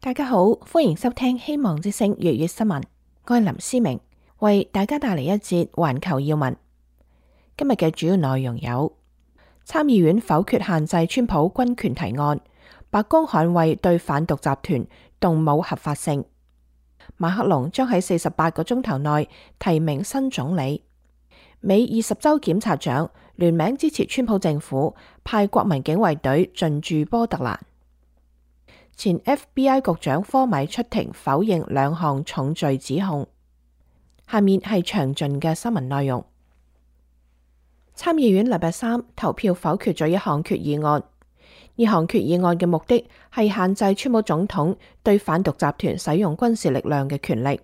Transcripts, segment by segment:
大家好，歡迎收聽希望之聲粵語新聞。我係林思明，為大家帶嚟一節環球要聞。今日嘅主要內容有：參議院否決限制川普軍權提案，白宮捍衛對販毒集團動武合法性；馬克龍將喺48個鐘頭內提名新總理；美20州檢察長聯名支持川普政府派國民警衛隊進駐波特蘭。前 FBI 局長科米出庭否認2項重罪指控。下面係詳盡嘅新聞內容。參議院禮拜三投票否決咗一項決議案，呢項決議案嘅目的係限制川普總統對販毒集團使用軍事力量嘅權力。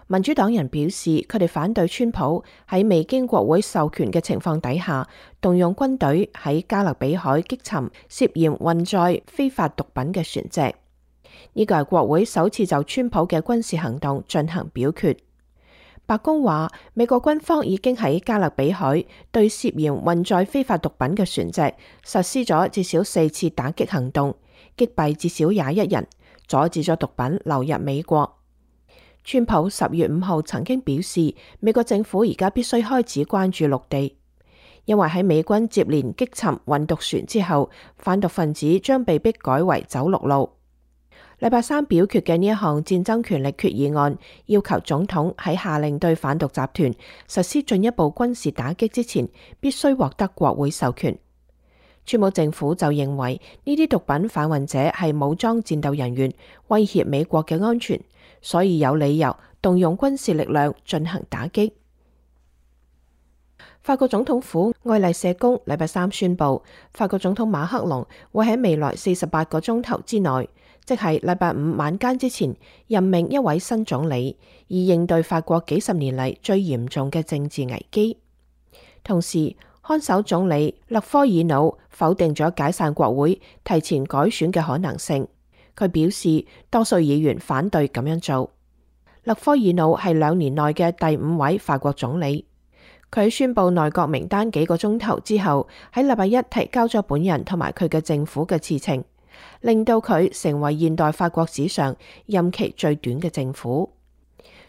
民主黨人表示，佢哋反對川普喺未經國會授權嘅情況底下，動用軍隊喺加勒比海擊沉涉嫌運載非法毒品嘅船隻。呢個係國會首次就川普嘅軍事行動進行表決。白宮話，美國軍方已經喺加勒比海對涉嫌運載非法毒品嘅船隻實施咗至少4次打擊行動，擊斃至少21人，阻止咗毒品流入美國。川普10月5號曾經表示，美國政府而家必須開始關注陸地，因為喺美軍接連擊沉運毒船之後，販毒分子將被迫改為走陸路。禮拜三表決嘅呢一項戰爭權力決議案，要求總統喺下令對販毒集團實施進一步軍事打擊之前，必須獲得國會授權。川普政府就認為呢啲毒品販運者係武裝戰鬥人員，威脅美國嘅安全，所以有理由動用軍事力量進行打擊。法國總統府愛麗舍宮禮拜三宣布，法國總統馬克龍會喺未來48個鐘頭之內，即係禮拜五晚間之前，任命一位新總理，以應對法國幾十年嚟最嚴重嘅政治危機。同時，看守總理勒科爾努否定咗解散國會、提前改選嘅可能性。佢表示，多數議員反對咁樣做。勒科爾努係2年內嘅第5位法國總理。佢喺宣布內閣名單幾個鐘頭之後，喺禮拜一提交咗本人同埋佢嘅政府嘅辭呈，令到佢成為現代法國史上任期最短嘅政府。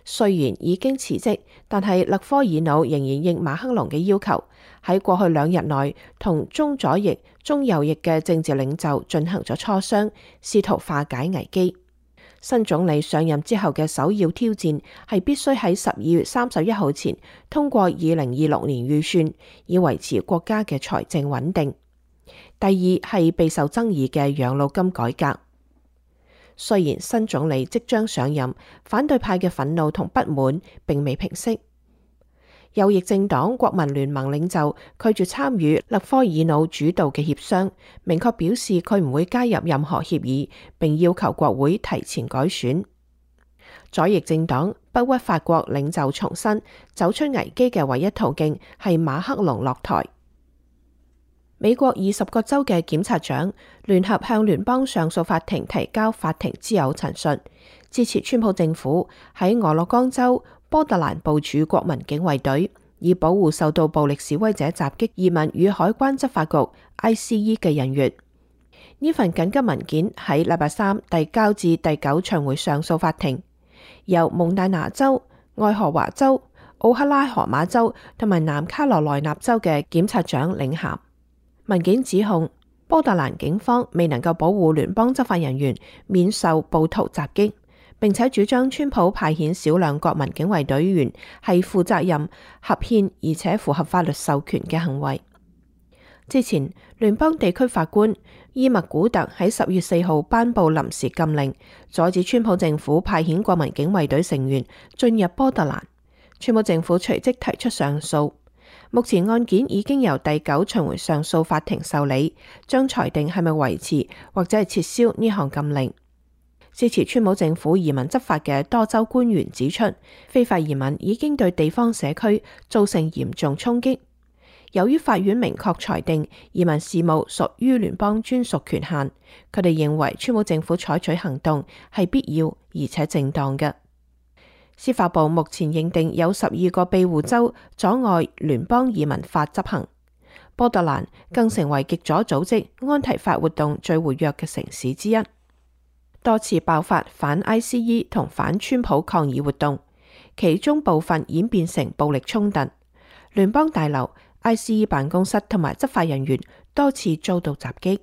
雖然已經辭職，但係勒科爾努仍然應馬克龍嘅要求，喺過去2日內同中左翼、中右翼嘅政治領袖進行咗磋商，試圖化解危機。新總理上任之後嘅首要挑戰係必須喺12月31號前通過2026年預算，以維持國家嘅財政穩定。第二係備受爭議嘅養老金改革。雖然新總理即將上任，反對派嘅憤怒同不滿並未平息。右翼政黨國民聯盟領袖拒絕參與勒科爾努主導嘅協商，明確表示佢唔會加入任何協議，並要求國會提前改選。左翼政黨不屈法國領袖重申，走出危機嘅唯一途徑係馬克龍落台。美國20個州嘅檢察長聯合向聯邦上訴法庭提交法庭之友陳述，支持川普政府喺俄勒岡州波特蘭部署國民警衛隊，以保護受到暴力示威者襲擊移民與海關執法局 ICE 嘅人員。呢份緊急文件喺禮拜三遞交至第9巡迴上訴法庭，由蒙大拿州、愛荷華州、奧克拉荷馬州同埋南卡羅來納州嘅檢察長領銜。文件指控波特蘭警方未能夠保護聯邦執法人員免受暴徒襲擊，並且主張川普派遣少量國民警衛隊員係負責任、合憲而且符合法律授權嘅行為。之前，聯邦地區法官伊默古特喺10月4號頒布臨時禁令，阻止川普政府派遣國民警衛隊成員進入波特蘭。川普政府隨即提出上訴。目前案件已經由第9巡迴上訴法庭受理，將裁定係咪維持或者係撤銷呢項禁令。支持川普政府移民執法嘅多州官員指出，非法移民已經對地方社區造成嚴重衝擊。由於法院明確裁定移民事務屬於聯邦專屬權限，佢哋認為川普政府採取行動係必要而且正當嘅。司法部目前認定有12個庇護州阻礙聯邦移民法執行。波特蘭更成為極左組織安提法活動最活躍嘅城市之一。多次爆發反 ICE 同反川普抗議活動，其中部分演變成暴力衝突。聯邦大樓、ICE 辦公室同埋執法人員多次遭到襲擊。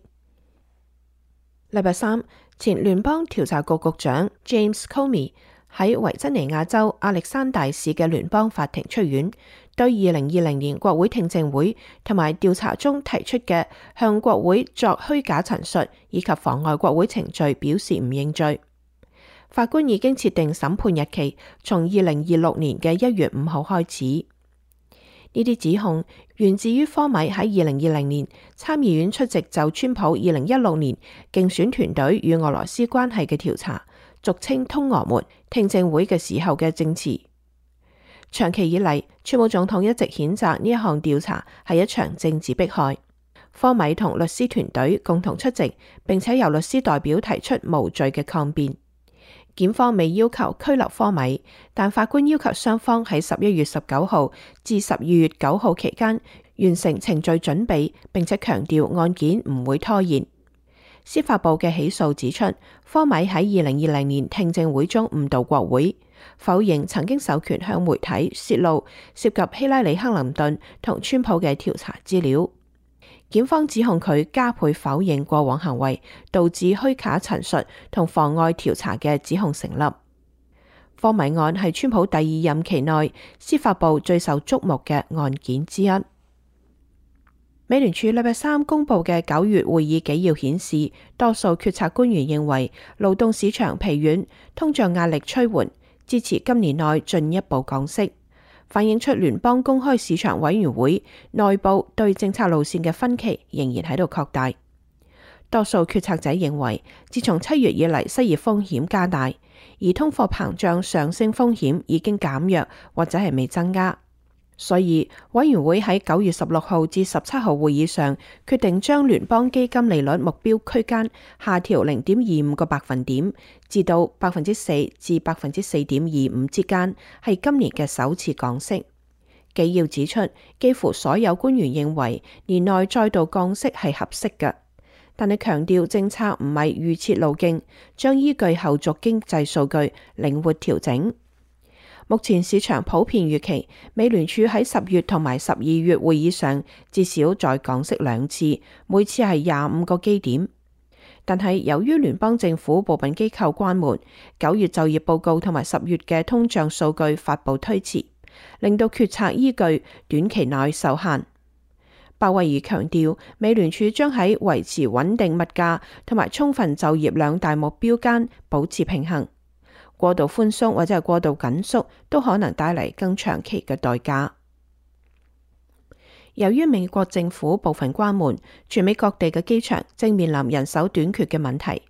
禮拜三，前聯邦調查局局長 James Comey 喺維珍尼亞州亞歷山大市嘅聯邦法庭出院，對2020年國會聽證會同埋調查中提出嘅向國會作虛假陳述以及妨礙國會程序表示唔認罪。法官已經設定審判日期，從2026年嘅1月5號開始。呢啲指控源自於科米喺2020年參議院出席就川普2016年競選團隊與俄羅斯關係嘅調查，俗稱通俄門聽證會嘅時候嘅證詞。長期以嚟，川普總統一直譴責呢一項調查係一場政治迫害。科米同律師團隊共同出席，並且由律師代表提出無罪嘅抗辯。檢方未要求拘留科米，但法官要求雙方喺11月19號至12月9號期間完成程序準備，並且強調案件唔會拖延。司法部嘅起訴指出，科米喺2020年聽證會中誤導國會，否認曾經授權向媒體泄露涉及希拉里·克林頓同川普嘅調查資料。檢方指控佢加倍否認過往行為，導致虛假陳述同妨礙調查嘅指控成立。科米案係川普第2任期內司法部最受矚目嘅案件之一。美聯儲禮拜三公布嘅9月會議紀要顯示，多數決策官員認為勞動市場疲軟，通脹壓力趨緩，支持今年內進一步降息，反映出聯邦公開市場委員會內部對政策路線嘅分歧仍然喺度擴大。多數決策者認為，自從7月以嚟，失業風險加大，而通貨膨脹上升風險已經減弱或者係未增加。所以委員會喺9月16號至17號會議上決定將聯邦基金利率目標區間下調0.25個百分點至到4%至4.25%之間，係今年嘅首次降息。紀要指出，幾乎所有官員認為年內再度降息係合適嘅，但係強調政策唔係預設路徑，將依據後續經濟數據靈活調整。目前市場普遍預期美聯儲喺10月同埋12月會議上至少再降息2次，每次係25個基點。但係由於聯邦政府部分機構關門，9月就業報告同埋10月嘅通脹數據發布推遲，令到決策依據短期內受限。鮑威爾強調，美聯儲將喺維持穩定物價同埋充分就業兩大目標間保持平衡。過度寬鬆或者係過度緊縮都可能帶嚟更長期嘅代價。由於美國政府部分關門，全美各地嘅機場正面臨人手短缺嘅問題，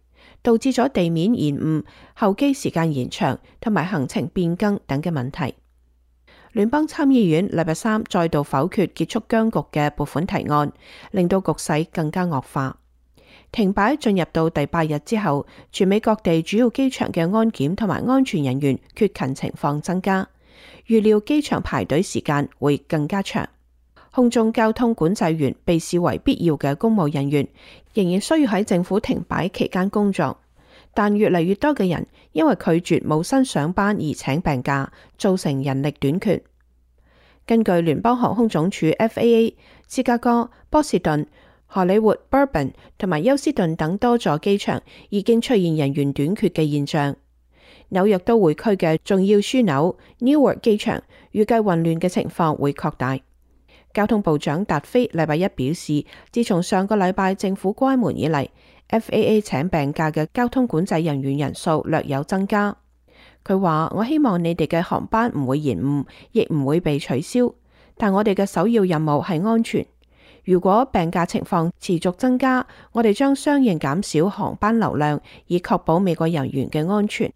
導致咗地面延誤、候機時間延長同埋行程變更等嘅問題。聯邦參議院禮拜三再度否決結束僵局嘅撥款提案，令到局勢更加惡化。停擺進入到第8日之後，全美各地主要機場嘅安檢同埋安全人員缺勤情況增加，預料機場排隊時間會更加長。空中交通管制員被視為必要嘅公務人員，仍然需要喺政府停擺期間工作，但越嚟越多嘅人因為拒絕冇薪上班而請病假，造成人力短缺。根據聯邦航空總署 FAA， 芝加哥、波士頓、荷里活、Burbank 同埋休斯頓等多座機場已經出現人員短缺嘅現象。紐約都會區嘅重要樞紐 Newark 機場預計混亂嘅情況會擴大。交通部長達菲禮拜一表示，自從上個禮拜政府關門以嚟， FAA 請病假嘅交通管制人員人數略有增加。佢話：我希望你哋嘅航班唔會延誤，亦唔會被取消，但我哋嘅首要任務係安全。如果病假情況持續增加，我哋將相應減少航班流量，以確保美國人員嘅安全。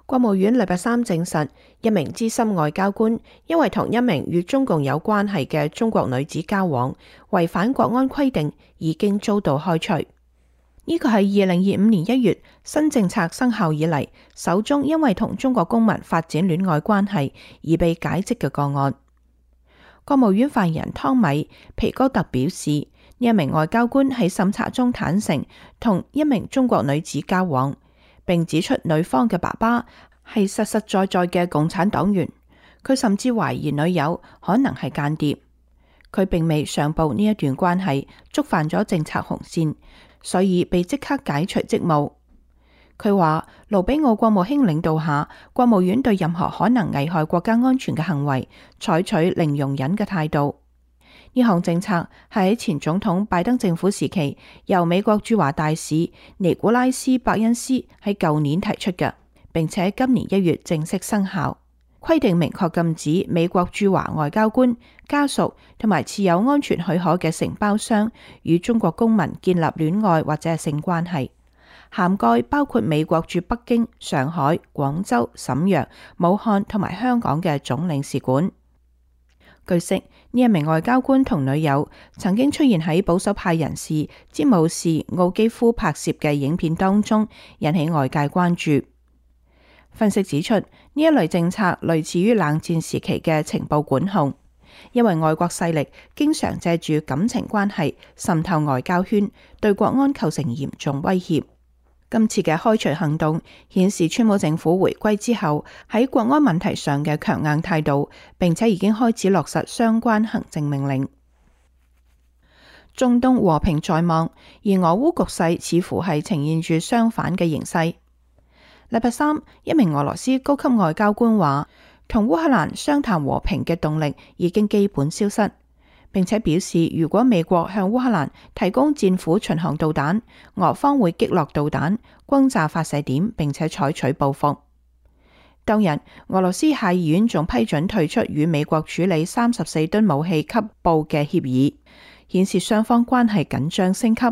國務院禮拜三證實，一名資深外交官因為同一名與中共有關係嘅中國女子交往，違反國安規定，已經遭到開除。呢個係2025年1月新政策生效以嚟首宗因為同中國公民發展戀愛關係而被解職嘅個案。國務院發言人湯米皮哥特表示，呢一名外交官喺審查中坦承同一名中國女子交往，並指出女方嘅爸爸係實實在在嘅共產黨員。佢甚至懷疑女友可能係間諜。佢並未上報呢一段關係觸犯咗政策紅線，所以被即刻解除職務。佢話盧比奧國務卿領導下，國務院對任何可能危害國家安全嘅行為採取零容忍嘅態度。呢項政策係喺前總統拜登政府時期由美國駐華大使尼古拉斯·伯恩斯喺舊年提出嘅，並且今年1月正式生效。規定明確禁止美國駐華外交官、家屬同埋持有安全許可嘅承包商與中國公民建立戀愛或者係性關係，涵蓋包括美國駐北京、上海、廣州、瀋陽、武漢同埋香港嘅總領事館。據悉，呢一名外交官同女友曾經出現喺保守派人士詹姆士奧基夫拍攝嘅影片當中，引起外界關注。分析指出，呢一類政策類似於冷戰時期嘅情報管控，因為外國勢力經常借住感情關係滲透外交圈，對國安構成嚴重威脅。今次嘅開除行動顯示川普政府回歸之後喺國安問題上嘅強硬態度，並且已經開始落實相關行政命令。中東和平在望，而俄烏局勢似乎係呈現住相反嘅形勢。禮拜三，一名俄羅斯高級外交官話，同烏克蘭商談和平嘅動力已經基本消失，並且表示如果美國向烏克蘭提供戰斧巡航導彈，俄方會擊落導彈，轟炸發射點，並且採取報復。當日，俄羅斯下議院仲批准退出與美國處理34噸武器級步嘅協議，顯示雙方關係緊張升級。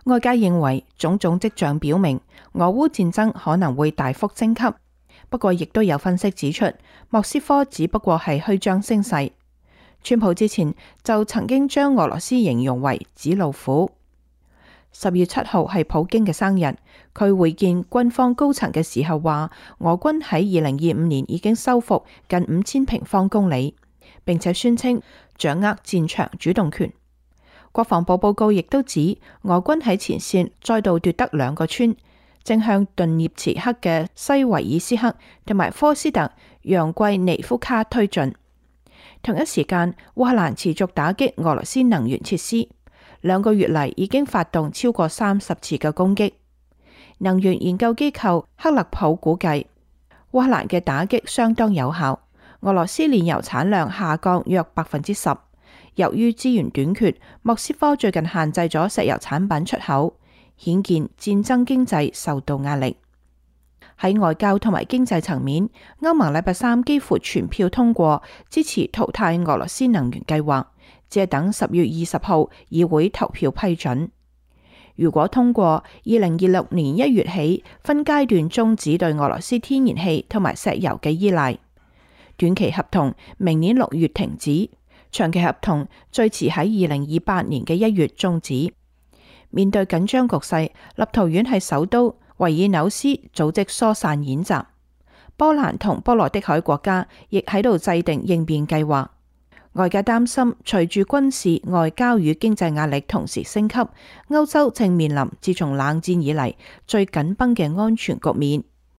外界認為種種跡象表明俄烏戰爭可能會大幅升級，不過亦都有分析指出，莫斯科只不過係虛張聲勢。川普之前就曾經將俄羅斯形容為紙老虎。10月7號係普京嘅生日，佢會見軍方高層嘅時候話，俄軍喺2025年已經收復近5000平方公里，並且宣稱掌握戰場主動權。國防部報告亦都指，俄軍喺前線再度奪得2個村，正向頓涅茨克嘅西維爾斯克同埋科斯特揚季尼夫卡推進。同一時間，烏克蘭持續打擊俄羅斯能源設施，2個月嚟已經發動超過30次嘅攻擊。能源研究機構克勒普估計，烏克蘭嘅打擊相當有效，俄羅斯煉油產量下降約10%。由於資源短缺，莫斯科最近限制咗石油產品出口，顯見戰爭經濟受到壓力。喺外交同埋經濟層面，歐盟禮拜三幾乎全票通過支持淘汰俄羅斯能源計劃，只係等10月20號議會投票批准。如果通過，2026年1月起分階段終止對俄羅斯天然氣同埋石油嘅依賴。短期合同明年6月停止，長期合同最遲喺2028年嘅1月終止。面對緊張局勢，立陶宛係首都維爾紐斯組織疏散演習，波蘭同波羅的海國家亦喺度制定應變計劃。外界擔心，隨住軍事、外交與經濟壓力同時升級，歐洲正面臨自從冷戰以嚟最緊繃嘅安全局面。